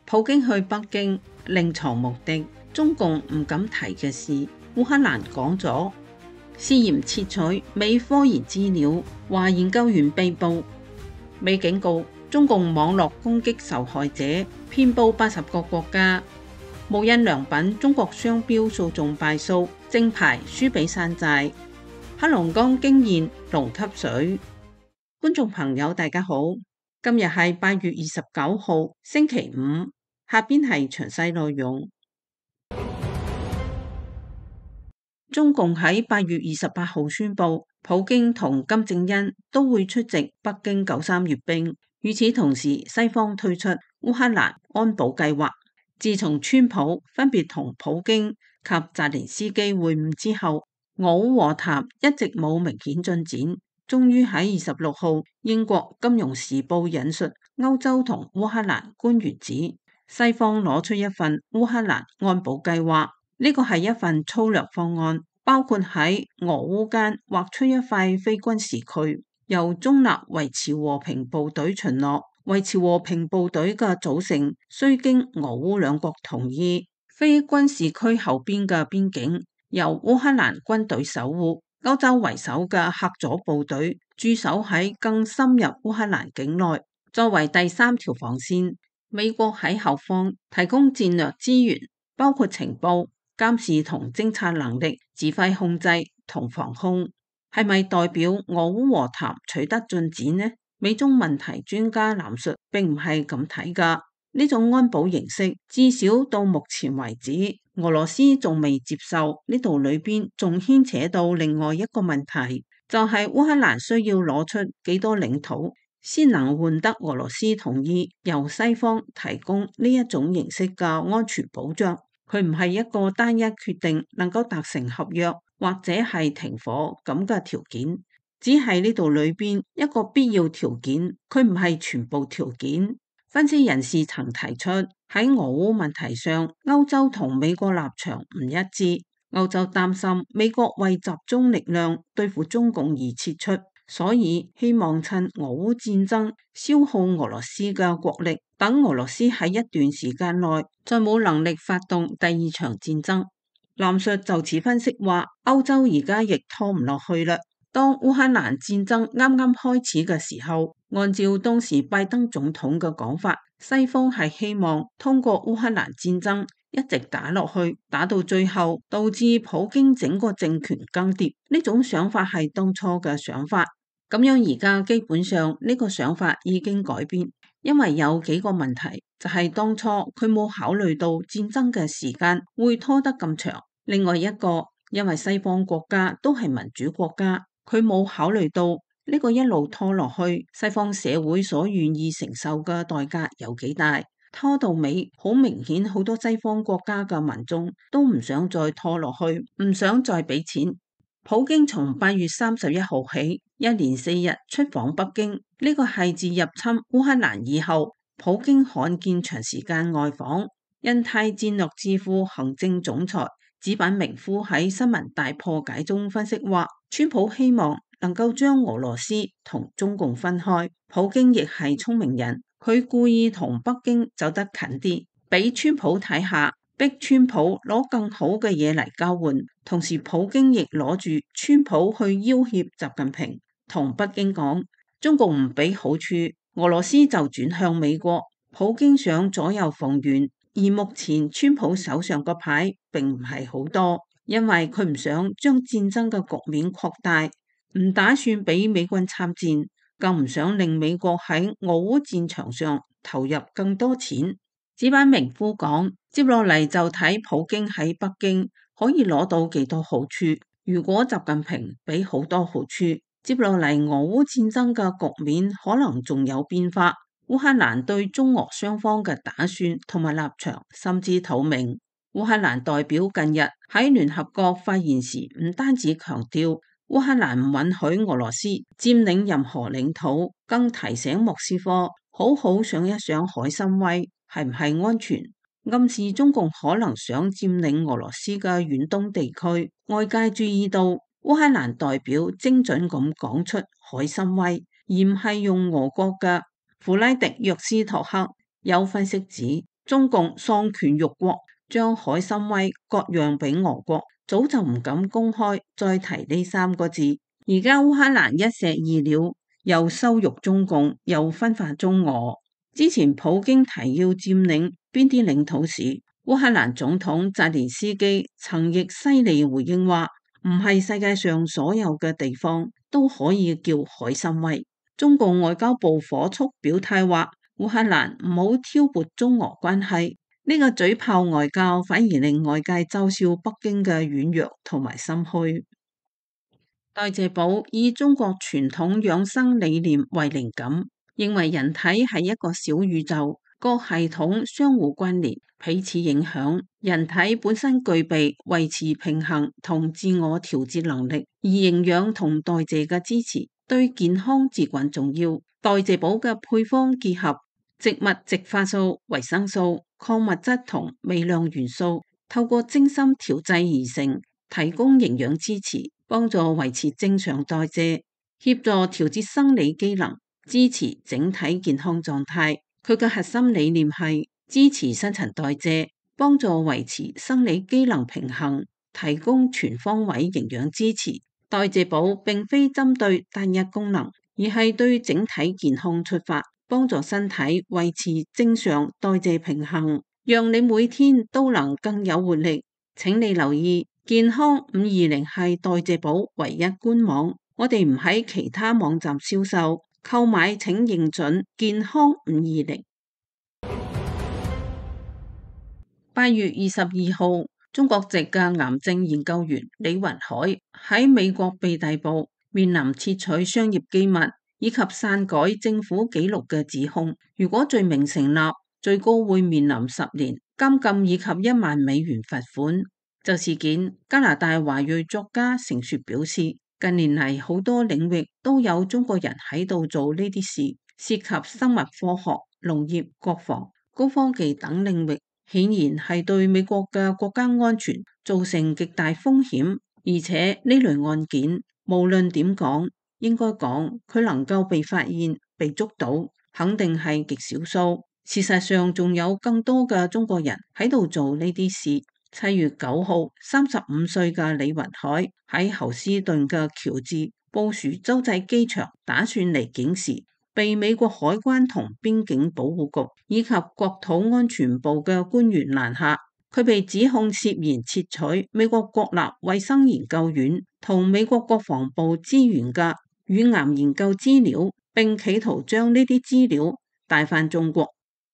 普京去北京另藏目的，中共唔敢提嘅事，烏克蘭講咗。涉嫌竊取美科研資料，華研究員被捕。美警告中共網絡攻擊受害者，遍佈80個國家。無印良品中國商標訴訟敗訴，正牌輸俾山寨。黑龍江驚現龍吸水。觀眾朋友大家好，今日係8月29號星期五，下邊係詳細內容。中共喺8月28號宣布，普京同金正恩都會出席北京93閱兵。與此同時，西方推出烏克蘭安保計劃。自從川普分別同普京及澤連斯基會晤之後，俄烏和談一直冇明顯進展。終於喺26號，英國金融時報引述歐洲同烏克蘭官員指，西方攞出一份烏克蘭安保計劃，呢個係一份粗略方案，包括喺俄烏間劃出一塊非軍事區，由中立維持和平部隊巡邏。維持和平部隊嘅組成需經俄烏兩國同意。非軍事區後邊嘅邊境由烏克蘭軍隊守護。歐洲為首嘅赫佐部隊駐守喺更深入烏克蘭境內，作為第三條防線。美國喺後方提供戰略資源，包括情報、監視同偵察能力、指揮控制同防空。係咪代表俄烏和談取得進展呢？美中問題專家藍述並唔係咁睇㗎。呢種安保形式至少到目前為止，俄羅斯仲未接受。呢度裏邊仲牽扯到另外一個問題，就係烏克蘭需要攞出幾多領土先能換得俄羅斯同意由西方提供呢一種形式嘅安全保障。佢唔係一個單一決定能夠達成合約或者係停火咁嘅條件，只係呢度裏邊一個必要條件，佢唔係全部條件。分析人士曾提出，喺俄烏問題上，歐洲同美國立場唔一致。歐洲擔心美國為集中力量對付中共而撤出，所以希望趁俄烏戰爭消耗俄羅斯嘅國力，等俄羅斯喺一段時間內再冇能力發動第二場戰爭。藍述就此分析話，歐洲而家亦拖唔落去啦。當烏克蘭戰爭啱啱開始嘅時候，按照當時拜登總統嘅講法，西方係希望通過烏克蘭戰爭一直打落去，打到最後導致普京整個政權更迭。呢種想法係當初嘅想法，咁樣而家基本上呢個想法已經改變，因為有幾個問題，就係當初佢冇考慮到戰爭嘅時間會拖得咁長。另外一個，因為西方國家都係民主國家，佢冇考慮到呢個一路拖落去，西方社會所願意承受嘅代價有幾大。拖到尾，好明顯好多西方國家嘅民眾都唔想再拖落去，唔想再俾錢。普京從8月31號起，一連4日出訪北京，呢個係自入侵烏克蘭以後，普京罕見長時間外訪。印太戰略智庫行政總裁子板明夫喺新聞大破解中分析話，川普希望能夠將俄羅斯同中共分開。普京亦係聰明人，佢故意同北京走得近啲，俾川普睇下，逼川普攞更好嘅嘢嚟交換。同時普京亦攞住川普去要挾習近平，同北京講，中共唔俾好處，俄羅斯就轉向美國。普京想左右逢源，而目前川普手上個牌並唔係好多，因為佢唔想將戰爭嘅局面擴大，唔打算俾美軍參戰，更唔想令美國喺俄烏戰場上投入更多錢。子板明夫講，接落嚟就睇普京喺北京可以攞到幾多好處。如果習近平俾好多好處，接落嚟俄烏戰爭嘅局面可能仲有變化。烏克蘭對中俄雙方嘅打算同埋立場甚至透明。烏克蘭代表近日喺聯合國發言時，唔單止強調烏克蘭唔允許俄羅斯佔領任何領土，更提醒莫斯科好好想一想海參崴係唔係安全，暗示中共可能想佔領俄羅斯嘅遠東地區。外界注意到烏克蘭代表精準咁講出海參崴，而唔係用俄國嘅弗拉迪約斯托克。有分析指，中共喪權辱國，將海參崴割讓俾俄國，早就唔敢公開再提呢三個字。而家烏克蘭一石二鳥，又羞辱中共，又分化中俄。之前普京提要佔領邊啲領土時，烏克蘭總統澤連斯基曾亦犀利回應話，唔係世界上所有嘅地方都可以叫海參崴。中共外交部火速表態話，烏克蘭唔好挑撥中俄關係，呢個嘴炮外交反而令外界嘲笑北京嘅軟弱同埋心虛。代謝寶以中國傳統養生理念為靈感，認為人體係一個小宇宙，各系統相互關聯，彼此影響。人體本身具備維持平衡同自我調節能力，而營養同代謝嘅支持對健康至關重要。代謝寶嘅配方結合植物植化素、維生素、礦物質同微量元素，透過精心調製而成，提供營養支持，幫助維持正常代謝，協助調節生理機能，支持整體健康狀態。佢嘅核心理念係支持新陳代謝，幫助維持生理機能平衡，提供全方位營養支持。代謝寶並非針對單一功能，而係對整體健康出發，幫助身體維持正常代謝平衡，讓你每天都能更有活力。請你留意，健康520係代謝寶唯一官網，我哋唔喺其他網站銷售，購買請認準健康520。8月22號，中國籍嘅癌症研究員李雲海喺美國被逮捕，面臨竊取商業機密以及篡改政府紀錄嘅指控。如果罪名成立，最高會面臨10年監禁以及1萬美元罰款。就事件，加拿大華裔作家成雪表示，近年嚟好多領域都有中國人喺度做呢啲事，涉及生物科學、農業、國防、高科技等領域，顯然係對美國嘅國家安全造成極大風險。而且呢類案件，無論點講，應該講佢能夠被發現、被捉到，肯定係極少數。事實上，仲有更多嘅中國人喺度做呢啲事。7月9號，35歲嘅李雲海喺侯斯頓嘅喬治布殊洲際機場打算離境時，被美國海關同邊境保護局以及國土安全部嘅官員攔下。佢被指控涉嫌竊取美國國立衛生研究院同美國國防部資源嘅乳癌研究資料，並企圖將呢啲資料帶返中國。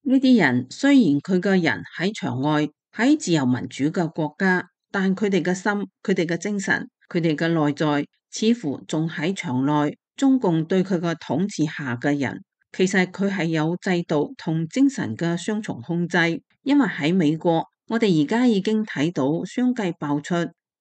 呢啲人雖然佢嘅人喺場外，喺自由民主嘅國家，但佢哋嘅心、佢哋嘅精神、佢哋嘅內在，似乎仲喺場內。中共對佢嘅統治下嘅人，其實佢係有制度同精神嘅雙重控制。因為喺美國，我哋而家已經睇到相繼爆出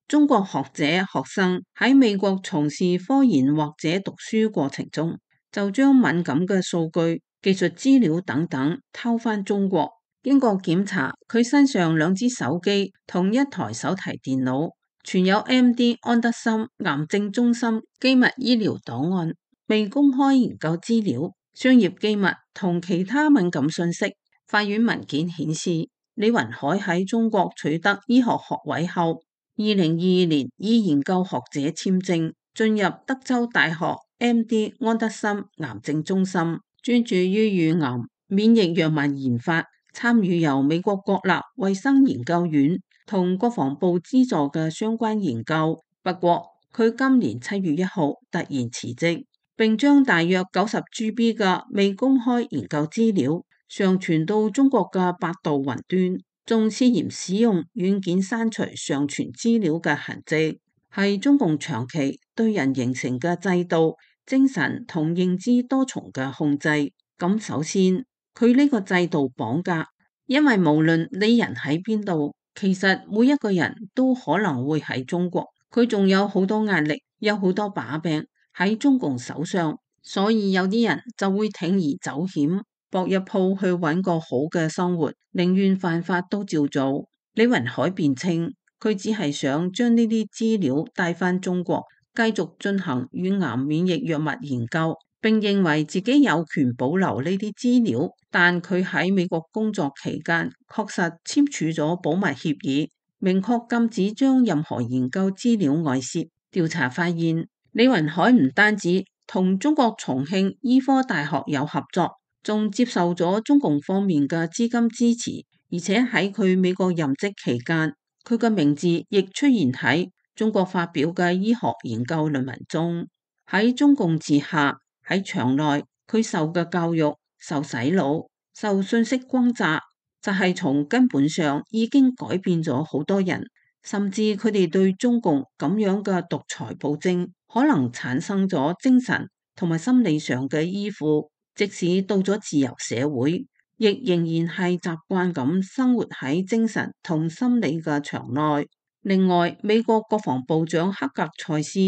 中國學者、學生喺美國從事科研或者讀書過程中，就將敏感嘅數據、技術資料等等偷返中國。經過檢查，佢身上2支手機同1台手提電腦，存有 MD 安德森癌症中心機密醫療檔案、未公開研究資料、商業機密同其他敏感信息。法院文件顯示，李雲海喺中國取得醫學學位後，2022年以研究學者簽證進入德州大學 MD 安德森癌症中心，專注於乳癌免疫藥物研發，參與由美國國立衛生研究院同國防部資助嘅相關研究。不過，佢今年7月1號突然辭職，並將大約90 GB 嘅未公開研究資料上傳到中國嘅百度雲端，仲涉嫌使用軟件刪除上傳資料嘅痕跡，係中共長期對人形成嘅制度、精神同認知多重嘅控制。咁首先，佢呢個制度綁架，因為無論你人喺邊度，其實每一個人都可能會喺中國。佢仲有好多壓力，有好多把柄喺中共手上，所以有啲人就會鋌而走險，搏一鋪去揾個好嘅生活，寧願犯法都照做。李雲海辯稱，佢只係想將呢啲資料帶返中國，繼續進行乳癌免疫藥物研究，並認為自己有權保留呢啲資料，但佢喺美國工作期間確實簽署咗保密協議，明確禁止將任何研究資料外泄。調查發現，李雲海唔單止同中國重慶醫科大學有合作，仲接受咗中共方面嘅資金支持，而且喺佢美國任職期間，佢嘅名字亦出現喺中國發表嘅醫學研究論文中。喺中共治下，喺場內佢受嘅教育、受洗腦、受信息轟炸，就係從根本上已經改變咗好多人，甚至佢哋對中共咁樣嘅獨裁暴政可能產生咗精神同埋心理上嘅依附，即使到咗自由社會，亦仍然係習慣咁生活喺精神同心理嘅牆內。另外，美國國防部長克格塞斯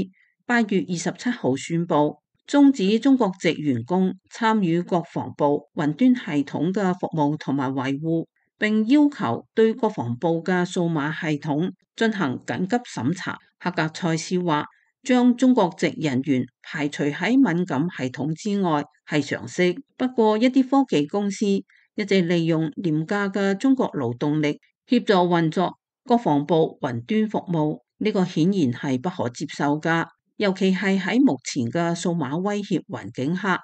8月27號宣布，終止中國籍員工參與國防部雲端系統嘅服務同埋維護，並要求對國防部嘅數碼系統進行緊急審查。克格塞斯話，將中國籍人員排除喺敏感系統之外係常識，不過一啲科技公司一直利用廉價嘅中國勞動力協助運作國防部雲端服務，呢個顯然係不可接受㗎。尤其係喺目前嘅數碼威脅環境下，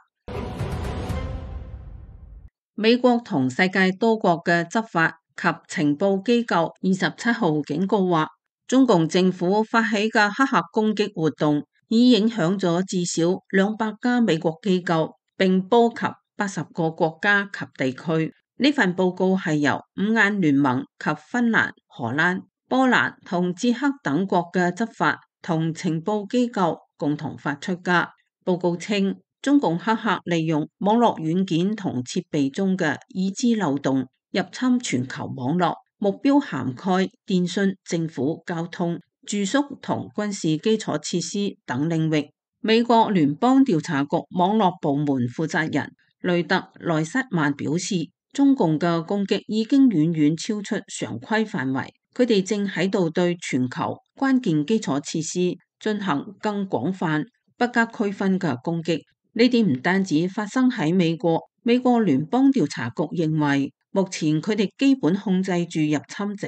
美國同世界多國嘅執法及情報機構27號警告話，中共政府發起嘅黑客攻擊活動已影響咗至少200家美國機構，並波及80個國家及地區。呢份報告係由五眼聯盟及芬蘭、荷蘭、波蘭同捷克等國嘅執法同情報機構共同發出㗎。報告稱，中共黑客利用網絡軟件同設備中嘅已知漏洞入侵全球網絡，目標涵蓋電信、政府、交通、住宿同軍事基礎設施等領域。美國聯邦調查局網絡部門負責人雷特萊塞曼表示，中共嘅攻擊已經遠遠超出常規範圍，佢哋正喺度對全球關鍵基礎設施進行更廣泛、不加區分嘅攻擊。呢啲唔單止發生喺美國，美國聯邦調查局認為，目前佢哋基本控制住入侵者，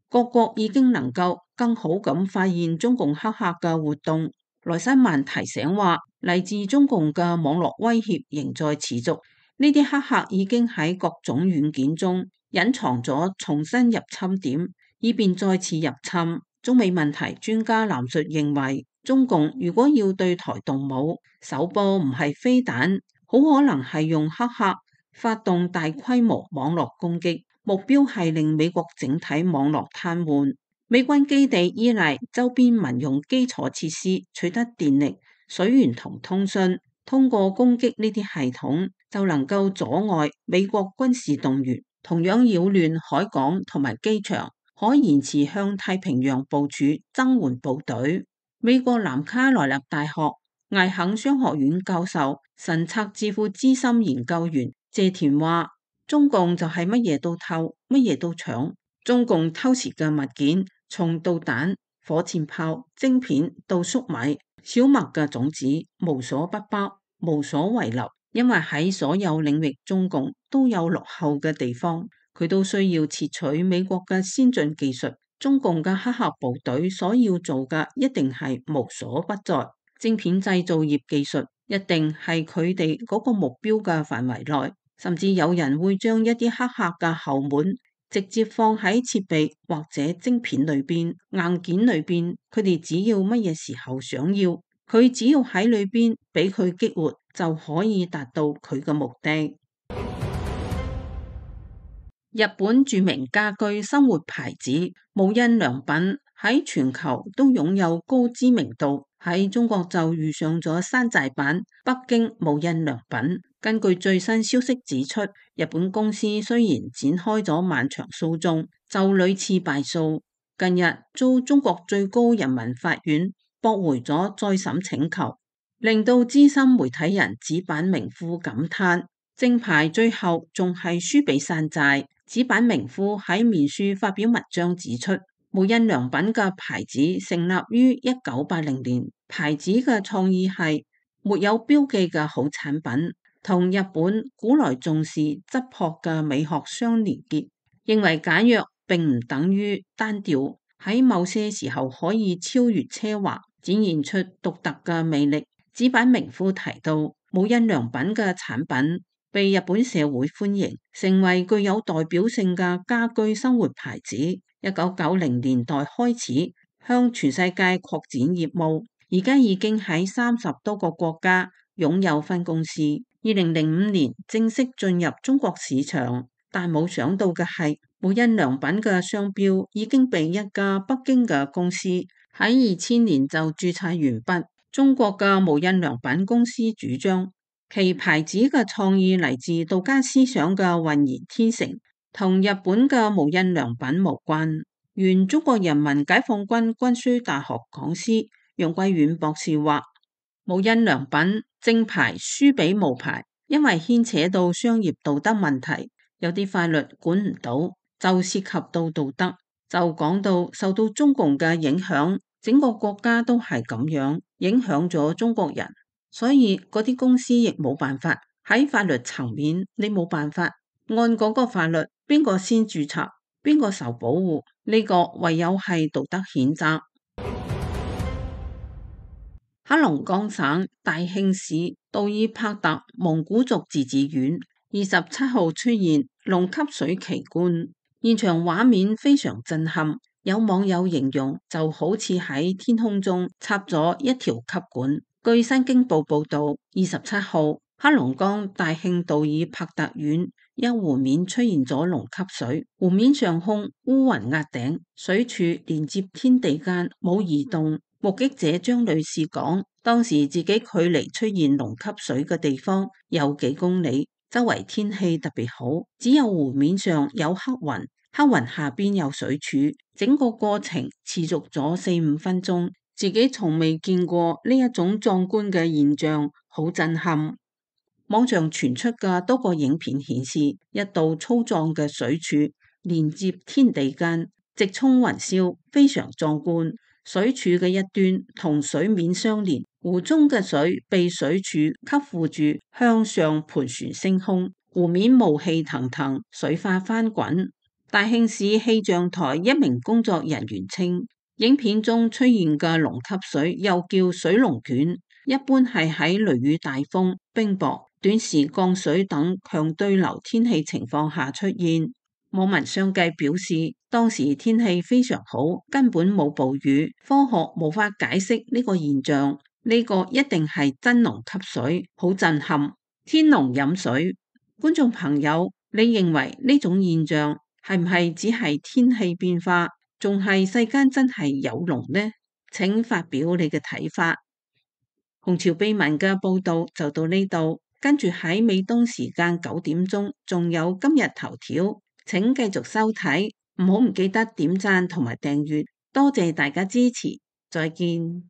各國已經能夠更好咁發現中共黑客嘅活動。萊塞曼提醒話，嚟自中共嘅網絡威脅仍在持續，呢啲黑客已經喺各種軟件中隱藏咗重新入侵點，以便再次入侵。中美問題專家藍述認為，中共如果要對台動武，首波唔係飛彈，好可能係用黑客發動大規模網絡攻擊，目標係令美國整體網絡癱瘓。美軍基地依賴周邊民用基礎設施取得電力、水源同通訊，通過攻擊呢啲系統就能夠阻礙美國軍事動員，同樣擾亂海港同埋機場，可延遲向太平洋部署增援部隊。美國南卡羅來納大學艾肯商學院教授、神策智庫資深研究員謝田話，中共就係乜嘢都偷，乜嘢都搶。中共偷竊嘅物件，從導彈、火箭炮、晶片到粟米、小麥嘅種子，無所不包，無所遺留。因為喺所有領域，中共都有落後嘅地方，佢都需要竊取美國嘅先進技術。中共嘅黑客部隊所要做嘅一定係無所不在，晶片製造業技術一定係佢哋嗰個目標嘅範圍內，甚至有人會將一啲黑客嘅後門直接放喺設備或者晶片裏邊、硬件裏邊，佢哋只要乜嘢時候想要，佢只要喺裏邊俾佢激活，就可以達到佢嘅目的。日本著名家居生活牌子無印良品喺全球都擁有高知名度，喺中國就遇上咗山寨版北京無印良品。根據最新消息指出，日本公司雖然展開咗漫長訴訟，就屢次敗訴，近日遭中國最高人民法院駁回咗再審請求，令到資深媒體人紙板明夫感嘆，正牌最後仲係輸俾山寨。紙板明夫喺面書發表文章指出，無印良品嘅牌子成立於1980年，牌子嘅創意係沒有標記嘅好產品，同日本古來重視質樸嘅美學相連結，認為簡約並唔等於單調，喺某些時候可以超越奢華，展現出獨特嘅魅力。紙板名夫提到，無印良品嘅產品被日本社會歡迎，成為具有代表性嘅家居生活牌子。1990年代開始向全世界擴展業務，而家已經喺30多個國家擁有分公司。2005年正式進入中國市場，但冇想到嘅係，無印良品嘅商標已經被一家北京嘅公司喺2000年就註冊完畢。中國嘅無印良品公司主張，其牌子嘅創意嚟自道家思想嘅渾然天成，同日本嘅無印良品無關。原中國人民解放軍軍需大學講師楊貴遠博士話，無印良品正牌輸俾無牌，因為牽扯到商業道德問題，有啲法律管唔到，就涉及到道德。就講到受到中共嘅影響，整個國家都係咁樣，影響咗中國人，所以嗰啲公司亦冇辦法。喺法律層面，你冇辦法按嗰個法律，邊個先註冊，邊個受保護，呢個唯有係道德譴責。黑龍江省大慶市杜爾帕特蒙古族自治縣27號出現龍吸水奇觀，現場畫面非常震撼，有網友形容就好似喺天空中插咗一條吸管。據新京報報道，27號黑龍江大慶杜爾帕特縣一湖面出現咗龍吸水，湖面上空烏雲壓頂，水柱連接天地間冇移動。目擊者張女士講，當時自己距離出現龍吸水嘅地方有幾公里，周圍天氣特別好，只有湖面上有黑雲，黑雲下邊有水柱，整個過程持續咗4-5分鐘，自己從未見過呢一種壯觀嘅現象，好震撼。網上傳出嘅多個影片顯示，一道粗壯嘅水柱連接天地間，直衝雲霄，非常壯觀。水柱嘅一端同水面相連，湖中嘅水被水柱吸附住，向上盤旋升空，湖面霧氣騰騰，水花翻滾。大慶市氣象台一名工作人員稱，影片中出現嘅龍吸水又叫水龍捲，一般係喺雷雨大風、冰雹、短時降水等強對流天氣情況下出現。網民相繼表示，當時天氣非常好，根本冇暴雨，科學無法解釋呢個現象，呢個一定係真龍吸水，好震撼，天龍飲水。觀眾朋友，你認為呢種現象係唔係只係天氣變化，仲係世間真係有龍呢？請發表你嘅睇法。紅潮秘聞嘅報道就到呢度，跟住喺美東時間9點鐘，仲有今日頭條。請繼續收睇，唔記得點讚同埋訂閱，多謝大家支持，再見。